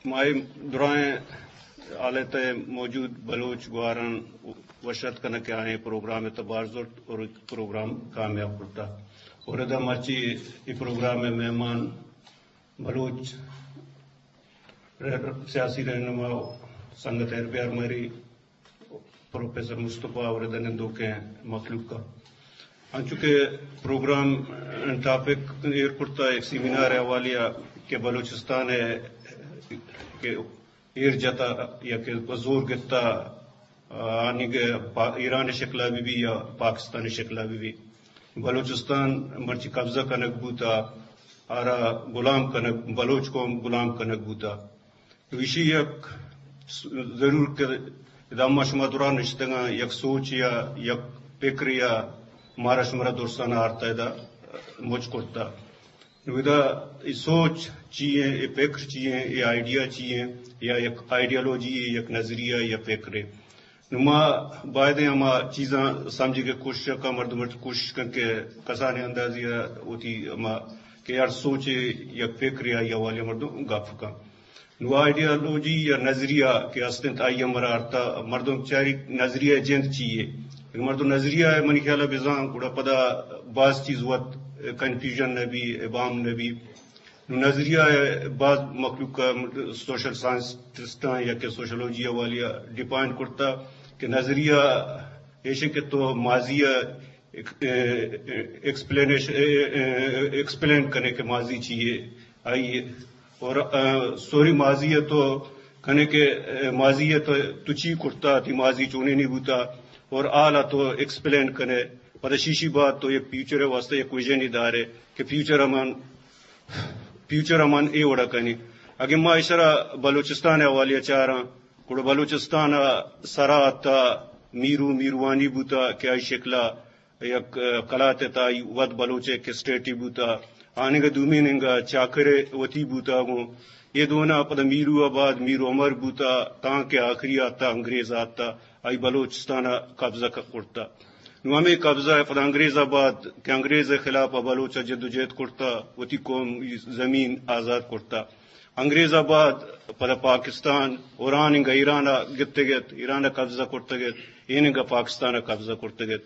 ما اے درائیں حالت ء موجود بلوچ گواران وشت کنگ کہ آئیں پروگرام ء تبار زرت اور پروگرام کامیاب کرتا۔ اور ادا مرچی اے پروگرام ء مہمان بلوچ رہ-، سیاسی رہنما سنگت ہیر بیار مری پروفیسر مصطفی اور ادا نندوکیں مخلوق کا۔ انچو کہ پروگرام ٹاپک ایر کرتا ایک سیمینار حوالی کہ بلوچستان کہ ایر جتا یا کہ زور گتا، آنی کہ پا-، ایران شکلا بھی بھی یا پاکستان شکلا بھی بھی۔ بلوچستان مرچی قبضہ کنگ بوتا، آرا غلام کنگ، بلوچ قوم غلام کنگ بوتا۔ تو ایشی یک س-، ضرور کہ ادا ما شما دوران نشتگاں یک سوچ یا یک فکر یا مارا شمارا درسان آرتا ادا مچ کرتا۔ نو ادا اے سوچ چی ایں، اے فکر چی ایں، اے آئیڈیا چی ایں، یا یک آئیڈیالوجی ایں، یک نظریہ یا فکر ایں۔ نو ما باید ایں ہما چیزاں سمجھگ ء کوشش ء کن، مردم ء کوشش کن کہ کسانیں اندازی ء وتی ہما کہ ہر سوچے یک فکرے آئی حوالے ء مردم گپ کن۔ نو آئیڈیالوجی یا نظریہ کہ است انت، آئی ء مرا ارتا مردم چاری نظریہ جند چی یے۔ مردم نظریہ ء منی خیال ء بزاں گڑا پدا باز چیز وت کنفیوژن نہ بی، ابہام نہ بی۔ نو نظریہ ء باز مخلوق ء سوشل سائنٹسٹاں یا کہ سوشولوجی ء والی ء ڈیفائن کرتا کہ نظریہ ایش کہ تو ماضی ء ایک-، اے-، اے-، ایکسپلینیش-، اے-، اے-، ایکسپلین کنے کہ ماضی چی یے آئی ء۔ اور، آ، سوری ماضی ء تو کنے کہ، اے، ماضی ء تو، تو چی کرتا، تی ماضی چونی نہیں بوتا، اور حال ء تو ایکسپلین کنے۔ پدا شیشی بعد تو یک فیوچر ء واسطہ یک ویژن ہی دارے کہ فیوچر ء من، فیوچر ء من اے وڑا کنی۔ اگے ما اشرا بلوچستان ء حوالے ء چاراں، گڑا بلوچستان ء سرا تا میرو میروانی بوتا کہ آئی شکلا یک، آ، کلات ء تہا آئی وت بلوچ ء یک اسٹیٹے بوتا، آنگا دومی ننگا چاکر ء وتی بوتا گوں۔ اے دونا پدا میرو ء بعد میر عمر بوتا، تاں کہ آخری آتا انگریز آتا، آئی بلوچستان ء قبضہ ک-، کرتا۔ نو ہمے قبضہ ء پدا انگریز ء بعد کہ انگریز ء خلاف ء بلوچ ء جدوجہد کرتا، وتی قوم زمین آزاد کرتا۔ انگریز ء بعد پدا پاکستان اور آنگا ایران ء گپتگ ات، ایران ء قبضہ کرتگ ات، اینگا پاکستان ء قبضہ کرتگ ات۔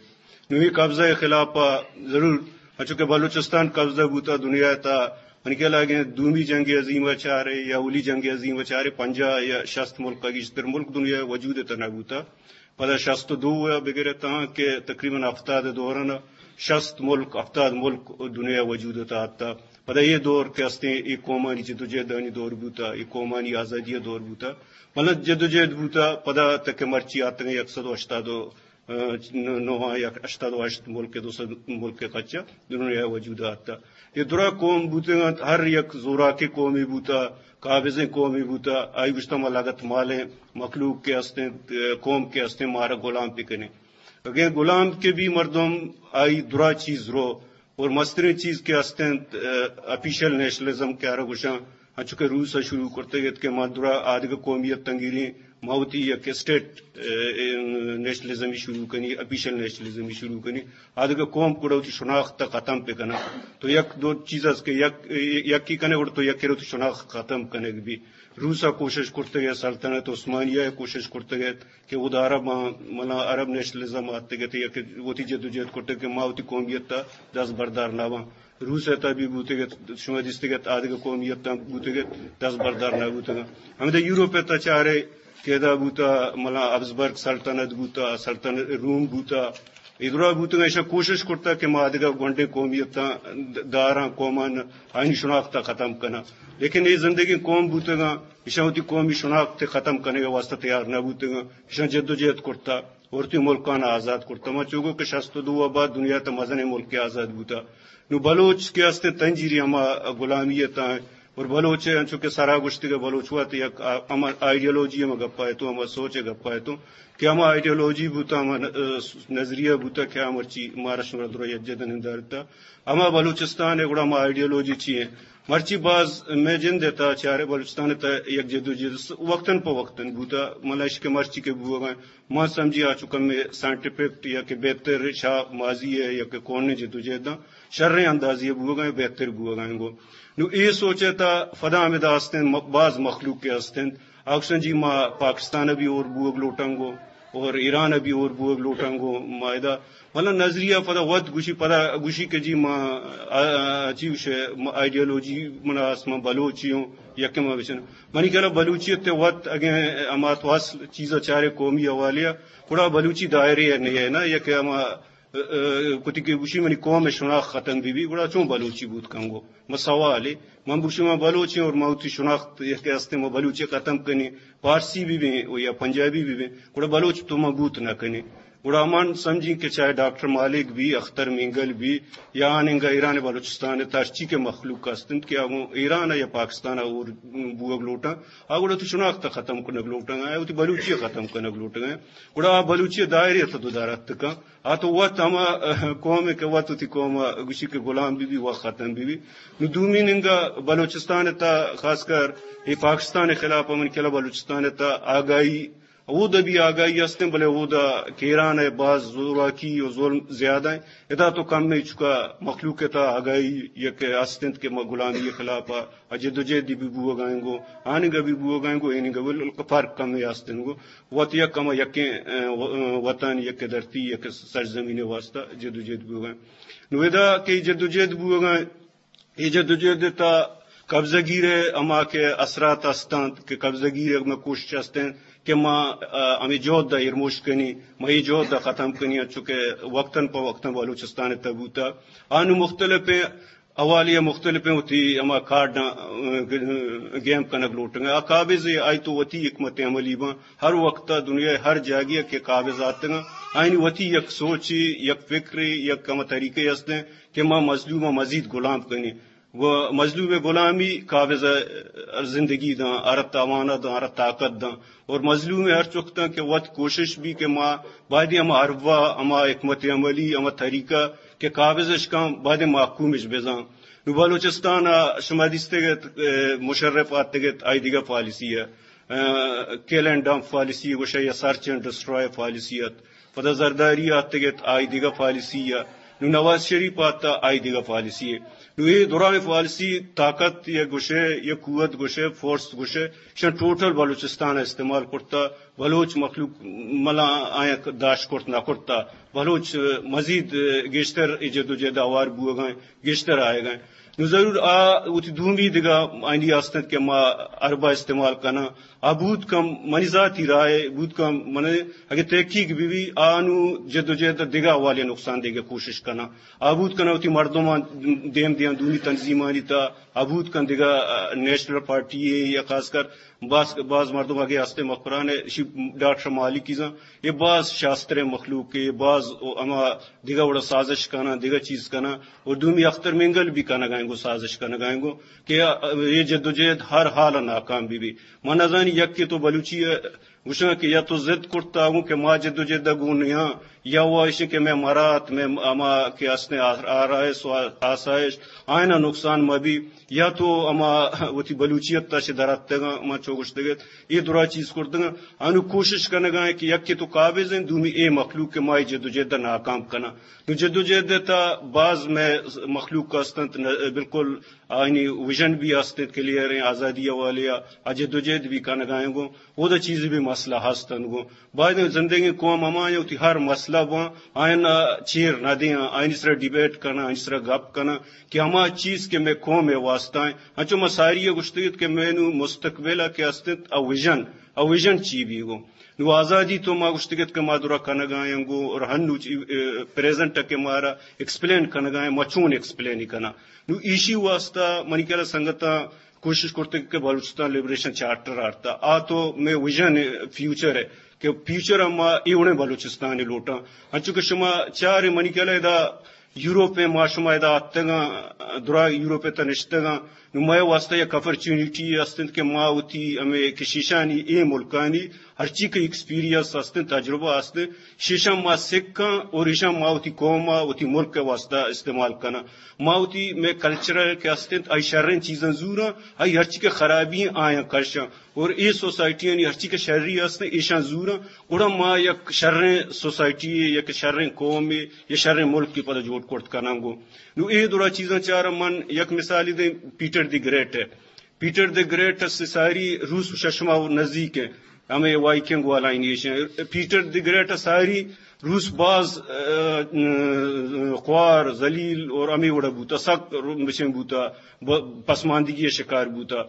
نو اے قبضہ ء خلاف ء ضرور، انچو کہ بلوچستان قبضہ بوتا دنیا ء تہا، منی خیال ء اگیں دومی جنگ عظیم ء چارے یا اولی جنگ عظیم ء چارے، پنجاہ یا شست ملک ء گیشتر ملک دنیا ء وجود ء تہا نہ بوتا۔ پدا شست ء دو ء بگر ء تاں کہ تقریباً ہفتاد ء دوران ء شست ملک، ہفتاد ملک دنیا ء وجود ء تہا اتاں۔ پدا اے دور کہ استیں، اے قومانی جدوجہدانی دور بوتا، اے قومانی آزادی ء دور بوتا۔ مطلب جدوجہد بوتا، پدا تک مرچی آتگیں یک سد ء ہشتاد ء نو یا ہشتاد ء ہشت ملک ء دو سد ملک ء کچ ء دنیا ء وجود ء آتا۔ اے درا قوم بوتگ انت، ہر یک زوراکیں قومے بوتا، قابضیں قومے بوتا، آئی گوشتا ما لگت مالیں مخلوق کہ استیں، قوم کہ استیں، مارا غلام بکنیں۔ اگیں غلام کہ بی مردم آئی درا چیز رو، اور مستریں چیز کہ است انت، آ، آفیشل نیشنلزم کہ آرا گوشاں، انچو کہ روس ء شروع کرتگ ات کہ ما درا آدگہ قومیت تنگیریں، ما وتی یک اسٹیٹ، آ، نیشنلزمی شروع کنی، آفیشل نیشنلزمی شروع کنی، آدگہ قوم گڑا وتی شناخت ء ختم پہ کناں۔ تو یک دو چیز است کہ یک، یکی کنے گڑا تو یکی رو وتی شناخت ختم کنگ بی۔ روس ء کوشش کرتگ ات، سلطنت عثمانیہ ء کوشش کرتگ ات، کہ اود عرب آں، منا عرب نیشنلزم آتگ ات، یک وتی جدوجہد کرتگ کہ ما وتی قومیت ء دست بردار نہ باں۔ روس ء تہ بی بوتگ ات، شما دیستگ ات، آدگہ قومیت آں بوتگ ات، دست بردار نہ بوتگ۔ ہمدا یورپ ء تہ چارے کہ ادا بوتا، منا ہبسبرگ سلطنت بوتا، سلطنت روم بوتا، اے درا بوتگ، ایشاں کوشش کرتا کہ ما آدگہ گونڈیں قومیتاں داراں، قومان آئینی شناخت ء ختم کناں۔ لیکن اے زندگیں قوم بوتگاں، ایشاں وتی قومی شناخت ء ختم کنگ ء واسطہ تیار نہ بوتگاں۔ ایشاں جدوجہد کرتا اور وتی ملکان آزاد کرتا۔ ما چوگو کہ شست و دو ء بعد دنیا تہ مزنیں ملکے آزاد بوتا۔ نوں بلوچ کہ استیں تنجیری ہما غلامی ء تہ اور بلوچ ء انچو کہ سرا گوشتگ ء بلوچ وت یک آ-، ہما آئیڈیالوجی ہما گپا اتوں، ہما سوچ ء گپا اتوں کہ ہما آئیڈیالوجی بوتا، ہما ن-، نظریہ بوتا کہ آ مرچی مارا شمارا درا یکجا دنندارتا۔ ہما بلوچستان ء گڑا ہما آئیڈیالوجی چی ایں؟ مرچی باز مئے جند ءِ تہا چارے بلوچستان ءِ تہا یک جدوجہد است، وقتاً پہ وقتاً بوتا، ملا اش کہ مرچی کہ بوگا، ما سمجھی آ چو کمے سائنٹیفک یا کہ بہتر شہ ماضی ءِ یا کہ کونیں جدوجہداں شریں اندازے ءَ بوگا، بہتر بوگا گو۔ نو اے سوچ ءِ تہا پدا ہمدا است انت، م-، باز مخلوق کہ است انت، آ گوشن جی ما پاکستان ءَ بھی ہور بوگ لوٹاں گو، اور ایران ءَ بھی ہور بوگ لوٹاں گو، ما ادا مطلب نظریہ پدا وت گوشی، پدا گوشی کہ جی ما، آ، آ، چی گوشے، ما آئیڈیالوجی منا است، ما بلوچی ہوں، یکے ما بچن۔ منی خیال ءَ بلوچیت ءِ وت اگیں ہما تو اصل چیز ءَ چارے قومی حوالے ءَ، گڑا بلوچی دائرے ءَ نہیں ہے نا، یک ہما، آ، آ، کتی کہ گوشی منی قوم ءِ شناخت ختم بی بی، گڑا چون بلوچی بوت کنگو؟ ما سوالے، من بوشی ما بلوچیں اور ما وتی شناخت یک ہستے ما بلوچی ختم کنی، پارسی بھی بیں یا پنجابی بھی بیں، گڑا بلوچ تو ما بوت نہ کنی۔ گڑا من سمجھی کہ چاہے ڈاکٹر مالک بھی، اختر مینگل بھی، یا آنگا ایران بلوچستان ءِ تہا ہرچی کہ مخلوق است انت کہ آگوں ایران یا پاکستان ءَ اور بوگ لوٹاں، آ گڑا تو شناخت ختم کنگ لوٹاں، آ وتی بلوچی ختم کنگ لوٹاں، گڑا آ بلوچی دائرے ءِ تہا تو دارت کن۔ آ تو وت ہما قوم ءِ کہ وت وتی قوم ءَ گوشی کہ غلام بی بی، وت ختم بی بی۔ نو دومی ننگا بلوچستان ءِ تہا خاص کر اے پاکستان ءِ خلاف ءَ من کلا بلوچستان ءِ تہا آگاہی، اودا بھی آگاہی است انت، بلے اودا کہ ایران ءِ باز زوراکی و ظلم زیادہ ہیں۔ ادا تو کم میں چکا مخلوق ءِ تہا آگاہی یک است انت کہ ما غلامی ءِ خلاف ءَ ءَ جدوجہد بھی بوگا انگو، آنگا بھی بوگا انگو، اینگا بھی فرق کمے است انگو۔ وت یک ہما یکیں، ا، و-، ا، وطن، یک دھرتی، یک سرزمین واسطہ جدوجہد بوگا۔ نو ادا کہ جدوجہد بوگا، اے جدوجہد ءِ تہا قبضہ گیر ءِ ہما کہ اثرات است انت، کہ قبضہ گیر ءِ ہما کوشش است انت کہ ما، ا، ہمے جہد ءَ ایرموش کنی، ما اے جہد ءَ ختم کنی، انچو کہ وقتاً پہ وقتاً بلوچستان ءِ تہا بوتا۔ آنو مختلفیں حوالے ءَ مختلفیں وتی ہما کارڈاں، ا، گیم کنگ لوٹگ ءَ۔ آ قابض ءَ آئی تو وتی حکمت عملی باں۔ ہر وقت ءَ دنیا ءِ ہر جاگے ءَ کہ قابض آتگ آں، آئینی وتی یک سوچے، یک فکرے، یک ہما طریقے است انت کہ ما مظلوم ءَ مزید غلام کنیں۔ و مظلوم ءِ غلامی قابض ءَ زندگی داں، ہر ءَ توانہ داں، ہر ءَ طاقت داں۔ اور مظلوم ءِ ہر چکتاں کہ وت کوشش بی کہ ما بایدیں ہما حربہ، ہما حکمت عملی، ہما طریقہ کہ قابض اش کن، بایدیں محکوم اش بزاں۔ نو بلوچستان ءَ شما دیستگ ات، ا، مشرف آتگ ات، آئی دگہ پالیسی ءَ، ا، کل اینڈ ڈمپ پالیسی گوشے یا سرچ اینڈ ڈسٹرائے پالیسی ات۔ پدا زرداری آتگ ات، آئی دگہ پالیسی ءَ۔ نو نواز شریف آتا، آئی دگہ پالیسی ءَ۔ نو اے درائیں پالیسی طاقت یا گوشے، یا قوت گوشے، فورس گوشے، شن ٹوٹل بلوچستان ءَ استعمال کرتا۔ بلوچ مخلوق ملا آیاں داشت کرت نہ کرتا۔ بلوچ مزید گیشتر اے جدوجہد ءَ ہوار بوگا انت، گیشتر آیگا انت۔ نو ضرور آ وتی دومی دگہ آئینی است انت کہ ما حربہ استعمال کناں۔ آ بوت کم منی ذاتی رائے، بوت کم من اگہ تحقیق بہ بی، آ نو جدوجہد ءَ دگہ حوالے نقصان دیگ ءِ کوشش کناں۔ آ بوت کناں وتی مردماں دیم دیاں دومی تنظیمانی تہا، آ بوت کن دگہ، ا، نیشنل پارٹی ءَ یا خاص کر باز، باز مردم اگہ ہستے مکران ءَ، اشی ڈاکٹر مالکی زاں، اے باز شاستریں مخلوق ءَ، اے باز ہما دگہ وڑا سازش کناں، دگہ چیز کناں، اور دومی اختر مینگل بھی کنگا انگو، سازش کنگا انگو کہ اے جدوجہد ہر حال ءَ ناکام بہ بی۔ من نزانی یکے تو بلوچی ءَ گوشاں کہ یا تو ضد کرتا گوں کہ ما جدوجہد ءَ گون نیاں، یا وہ ایشیں کہ مئے مرات، مئے ہما کہ استیں آ-، آرائش و آسائش، آئینا نقصان مہ بی، یا تو ہما وتی بلوچیت ءَ چہ دراتگاں، ما چو گوشتگ ات، اے درا چیز کرتگاں، انو کوشش کنگا ایں کہ یکے تو قابض ایں، دومی اے مخلوق کہ ما اے جدوجہد ءَ ناکام کناں۔ نو جدوجہد ءِ تہا باز مئے مخلوق استنت، نہ، بالکل آئینی ویژن بھی است انت کلیئر ایں، آزادی حوالے ءَ آ جدوجہد بھی کنگا ایں گوں، اودا چیزے بھی مسئلہ ہست انت گوں۔ باید انت زندگیں قوم ہما ایں وتی ہر مسئلہ باں، آئین ءَ چیر نہ دیاں، آئینی سرا ڈیبیٹ کناں، آئینی سرا گپ کناں کہ ہما چیز کہ مئے قوم ءِ واسطہ ایں۔ انچو ما ساری ءَ گوشتگ ات کہ مئے نوں مستقبل ءَ کہ است انت، آ ویژن، آ ویژن چی بیگو؟ نوں آزادی تو ما گوشتگ ات کہ ما درا کنگا ایں گوں، اور ہنو چی، اے، پریزنٹ ءَ کہ مارا ایکسپلین کنگا ایں، ما چون ایکسپلین کناں؟ نوں ایشی واسطہ منی خیال ءَ سنگتاں کوشش کرتگ کہ بلوچستان لبریشن چارٹر آرتا۔ آ تو مئے ویژن فیوچر ءِ کہ فیوچر ءَ ما اے وڑیں بلوچستان ءَ لوٹاں۔ انچو کہ شما چار منی خیال ءَ ادا یورپ ءَ ما شما ادا آتگاں، درا یورپ ءِ تہ نشتگاں، نوں مئے واستہ یک اپرچونیٹی است انت کہ ما وتی ہمے کہ شیشانی اے ملکانی ہرچی کہ ایکسپیرینس است انت، تجربہ است انت، شیشاں ما سکاں اور ایشاں ما وتی قوم ء وتی ملک ء واستہ استعمال کناں۔ ما وتی مئے کلچر کہ است انت، آئی شریں چیزاں زوراں، آئی ہرچی کہ خرابی آیاں کشاں۔ اور اے سوسائٹیانی ہرچی کہ شری است انت، ایشاں زوراں، گڑا ما یک شریں سوسائٹی، یک شریں قومے یا شریں ملکے پدا جوڑ کرت کناں گوں۔ نوں اے درا چیزاں چاراں، من یک مثالے دیں، پیٹر دی گریٹ ء۔ پیٹر دی گریٹ ء ساری روس ششما نزدیک ء، ہمے وائکنگ والا ایشاں۔ پیٹر دی گریٹ ء ساری روس باز، ا، ا، خوار، ذلیل اور ہمے وڑا بوتا، سک بچیں بوتا، ب-، پسماندگی ء شکار بوتا۔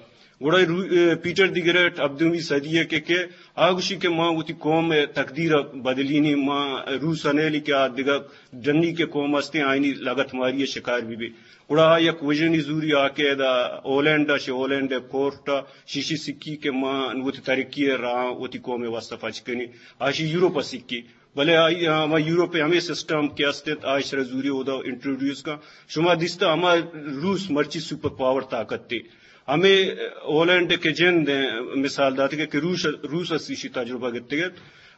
گڑا رو-، ا، پیٹر دی گریٹ ہبدہمی صدی ء کہ، کہ آ گوشی کہ ما وتی قوم ء تقدیر ء بدلینی، ما روس ء نیلی کہ آ دگہ ڈنی کہ قوم استیں آئینی لگت ماری ء شکار بہ بی۔ گڑا آ یک وژنی زوری آ کہ ادا ہالینڈ ء، شہ ہالینڈ ء کورٹ ء شیشی سکی کہ ما وتی ترقی ء راہ وتی قوم ء واستہ پچ کنی۔ آ شہ یورپ ء سکی۔ بلے آئی، ہما یورپ ء ہمے سسٹم کہ است انت، آ ایشرا زوری اودا انٹروڈیوس کن۔ شما دیستہ ہما روس مرچی سپر پاور طاقت تے۔ ہمے ہالینڈ کہ جند ء مثال داتگ کہ روس، روس ء ایشی تجربہ گتگ ات۔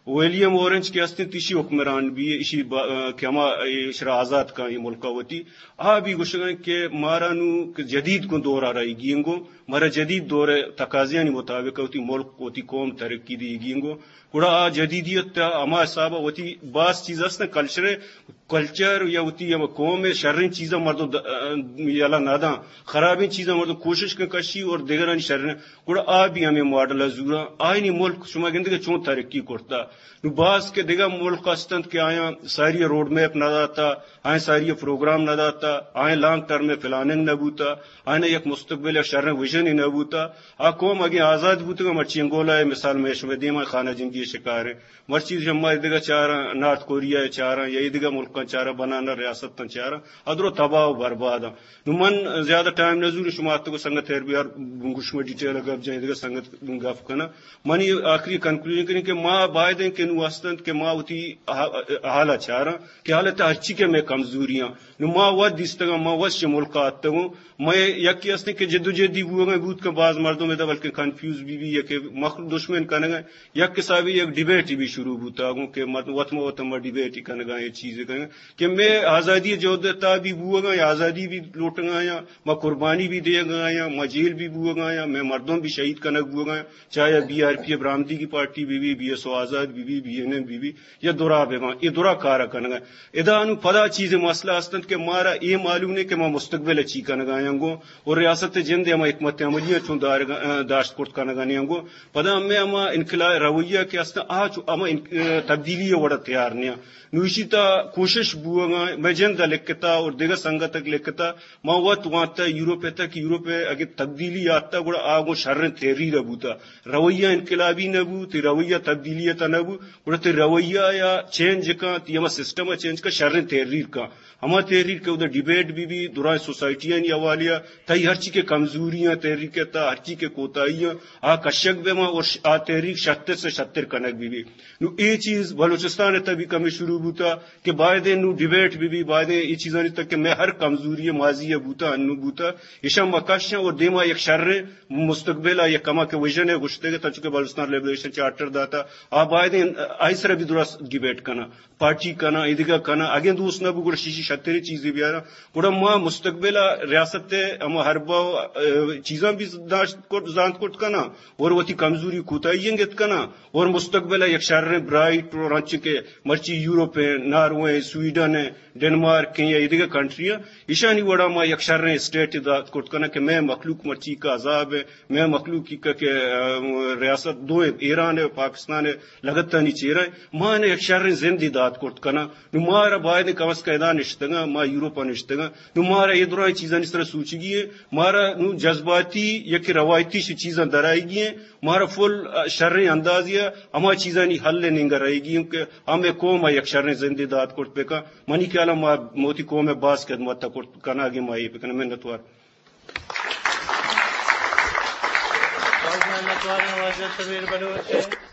ولیم اورنج کہ است انت، ایشی حکمران بی، ایشی با-، کہ ہما ایشرا آزاد کن اے ملک ء وتی۔ آ بی گوشگ ء کہ مارا نوں کہ جدید گوں دور ء رہیگی انگو، مارا جدید دور ء تقاضیانی مطابق وتی ملک، وتی قوم ترقی دیگی انگو۔ گڑا آ جدیدیت ء ہما حساب ء وتی باز چیز است انت، کلچر ء، کلچر یا وتی ہما قوم ء شریں چیزاں مردم د-، یلہ نہ داں، خرابیں چیزاں مردم کوشش کن کشی اور دگرانی شریں۔ گڑا آ بھی ہمیں ماڈل ء زوراں۔ آئینی ملک شما گندگے چون ترقی کرتا۔ نوں باز کہ دگہ ملک است انت کہ آیاں ساری روڈ میپ نہ داتا، آیاں ساری پروگرام نہ داتا، آیاں لانگ ٹرم پلاننگ نہ بوتا، آیاں یک مستقبل ء شریں ویژن نہ بوتا۔ آ قوم اگیں آزاد بوتگاں، مرچی انگولا ء مثال مئے شمئے دیما خانہ جنگی ء شکار انت۔ مرچی شما دگہ چاراں، نارتھ کوریا ء چاراں یا اے دگہ ملکاں چاراں، بنانا ریاستاں چاراں، ادرو تباہ و برباد انت۔ نوں من زیادہ ٹائم نہ زوروں، شما اتکو سنگت ہیر بیار، گوش میں ڈیٹیل ء گپ جائیں، دگہ سنگت گپ کناں۔ منی آخری کنکلوژن کنیں کہ ما باید انت کہ نوں است انت کہ ما وتی حا-، حال ء چاراں کہ حالت ء ہرچی کہ مئے کمزوریاں، نوں ما وت دیستگاں، ما وت چہ ملک ء آتگوں۔ مئے یکے است انت کہ جد و جہدی بوگ ء بوت کہ باز مردم ادا بلکہ کنفیوز بی بی یا کہ مخلوق دشمن کنگ ء، یک حسابی یک ڈیبیٹ بھی شروع بوتا گوں کہ مردم وت ما وت ما ڈیبیٹ کنگا یا چیز کنگا کہ مئے آزادی جہد ء تہا بھی بوگ ء یا آزادی بھی لوٹگ ء یا ما قربانی بھی دیگ ء یا ما جیل بھی بوگ ء یا مئے مردم بھی شہید کنگ بوگ ء، چاہے بی آر پی ء برآمدگی پارٹی بی بی، بی ایس او آزاد بی بی، بی این ایم بی بی، یا درا بہ باں، اے درا کار ء کنگ ء۔ ادا انوں پدا چیزے مسئلہ است انت کہ مارا اے معلوم نہ کہ ما مستقبل ء چی کنگ ء آیاں گوں، اور ریاست ء جند ء ہما حکمت عملی ء چون دارگ ء، داشت کرت کنگ ء نیاں گوں۔ پدا ہمے ہما انقلاب رویہ کہ است انت، آ چو ہما ان-، تبدیلی ء وڑ ء تیار نیاں۔ نوں ایشی تہا کوشش بوگ ء، مئے جند ء لکھتا اور دگہ سنگتک لکھتا، ما وت وانتا یورپ ء تک، یورپ ء اگہ تبدیلی آتا گڑا آ گوں شریں تحریر ء بوتا۔ رویہ انقلابی نہ بوت، رویہ تبدیلی ء تہا نہ بوت، گڑا تئی رویہ یا چینج کن، تئی ہما سسٹم ء چینج کن، شریں تحریر کن۔ ہما تحریر کہ اودا ڈیبیٹ بی بی، درائیں سوسائٹیانی حوالے ء، تئی ہرچی کہ کمزوری آں تحریک ء تہا، ہرچی کہ کوتاہی آں، آ کشگ بہ باں اور ش-، آ تحریک شتر سے شتر کنگ بی بی۔ نوں اے چیز بلوچستان ء تہا بھی کمے شروع بوتا کہ بایدیں نوں ڈیبیٹ بی بی، بایدیں اے چیزانی تہا کہ مئے ہر کمزوری ء ماضی ء بوتا، انوں بوتا، ایشاں ما کشاں اور دیما یک شریں مستقبل ء یک کماکیں ویژن ء گوشتگ ء، تنچو کہ بلوچستان لبریشن چارٹر داتا، آ بایدیں آئی سرا بھی درست ڈیبیٹ کناں، پارٹی کناں، ایدگہ کناں، اگیں دوست نہ بو گڑا شیشی شتریں چیزے بیاراں۔ گڑا ما مستقبل ء ریاست ء ہما حربہ ء، ا، چیزاں بھی داشت کرت، زانت کرت کناں اور وتی کمزوری کوتاہی انگت کناں اور مستقبل ء یک شریں برائٹ اور انچو کہ مرچی یورپ ء، ناروے ء، سویڈن ء، ڈنمارک ء یا ایدگہ کنٹری ء، ایشانی وڑا ما یک شریں اسٹیٹ دات کرت کناں کہ مئے مخلوق مرچی کا عذاب ء، مئے مخلوق کی کہ، ا، ریاست دو ایران ء پاکستان ء لگتانی چیرا ما اناں یک شریں زندے دات کرت کناں۔ نوں مارا باید کم از کم ادا نشتگاں، ما یورپ ء نشتگاں۔ نوں مارا اے درائیں چیزانی سرا سوچگی ایں۔ مارا نوں جذباتی یا کہ روایتی شی چیزاں درائیگی ایں۔ مارا فل، ا، شریں اندازی ء ہما چیزانی حل ء نیمگا رہیگی ایں کہ ہمے قوم ء یک شریں زندے دات کرت بکن۔ منی خیال ء ما موتی قوم ء باز خدمت ء کرت کناں، اگیں ما اے بکناں۔ منتوار۔ باز منتوار واجہ شبیر بلوچ۔